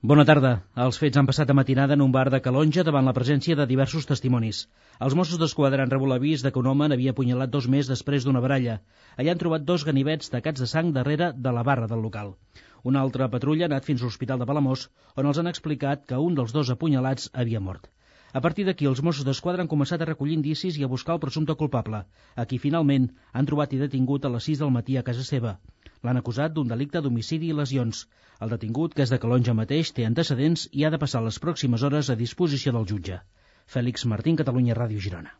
Bona tarda. Els fets han passat a matinada en un bar de Calonge davant la presència de diversos testimonis. Els Mossos d'Esquadra han rebut l'avís de que un home n'havia apunyalat 2 més després d'una baralla. Allà han trobat 2 ganivets tacats de sang darrere de la barra del local. Una altra patrulla ha anat fins a l'Hospital de Palamós, on els han explicat que un dels 2 apunyalats havia mort. A partir d'aquí, els Mossos d'Esquadra han començat a recollir indicis i a buscar el presumpte culpable, a qui finalment han trobat i detingut a les 6 del matí a casa seva. L'han acusat d'un delicte d'homicidi i lesions. El detingut, que és de Calonge mateix, té antecedents i ha de passar les pròximes hores a disposició del jutge. Fèlix Martín, Catalunya Ràdio, Girona.